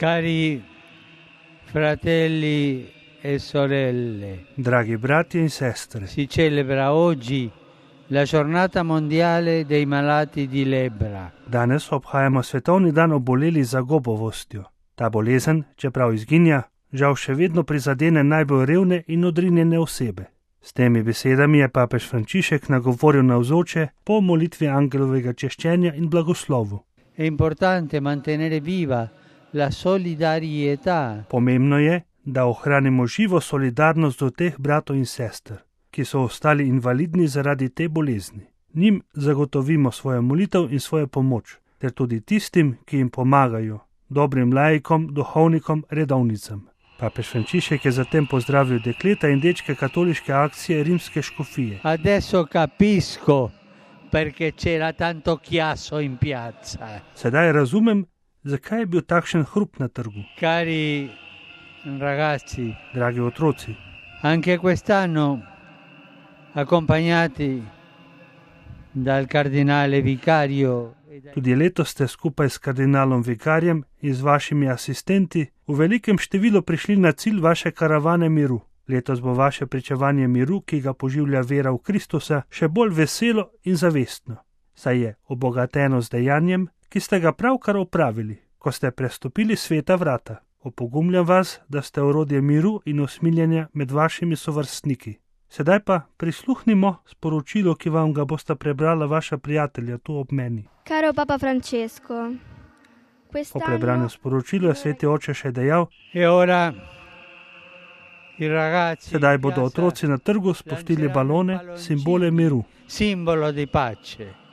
Cari fratelli e sorelle, Dragi bratje in sestre, si celebra oggi la giornata mondiale dei malati di lebbra. danes obhajamo svetovni dan oboleli za gobovostjo. Ta bolezen, čeprav izginja, žal še vedno prizadene najbolj revne in odrinjene osebe. S temi besedami je papež Frančišek nagovoril navzoče po molitvi angelovega češčenja in blagoslovu. È importante mantenere viva la solidarietà Pomembno je, da ohranimo živo solidarnost do teh bratov in sester, ki so ostali invalidni zaradi te bolezni. Njim zagotovimo svojo molitev in svojo pomoč, ter tudi tistim, ki jim pomagajo, dobrim laikom, duhovnikom, redovnicam. Papež Frančišek je zatem pozdravil dekleta in dečke katoliške akcije rimske škofije. Adesso capisco perché c'era tanto chiasso in piazza. Sedaj razumem, zakaj je bil takšen hrup na trgu. Cari ragazzi, Dragi otroci, anche quest'anno, accompagnati dal cardinale vicario e dai tudi letos ste skupaj s kardinalom vikarjem in z vašimi asistenti v velikem številu prišli na cilj vaše karavane miru. Letos bo vaše pričevanje miru, ki ga poživlja vera v Kristusa, še bolj veselo in zavestno, saj je obogateno z dejanjem, ki ste ga pravkar opravili, ko ste prestopili sveta vrata. Opogumljam vas, da ste orodje miru in usmiljenja med vašimi sovrstniki. Sedaj pa prisluhnimo sporočilo, ki vam ga bosta prebrala vaša prijatelja tu ob meni. Caro Papa Francesco, Po prebranju sporočilu je sveti oče še dejal: E ora i ragazzi sedaj in bodo piazza otroci na trgu spustili balone, simbole miru. simbolo di pace.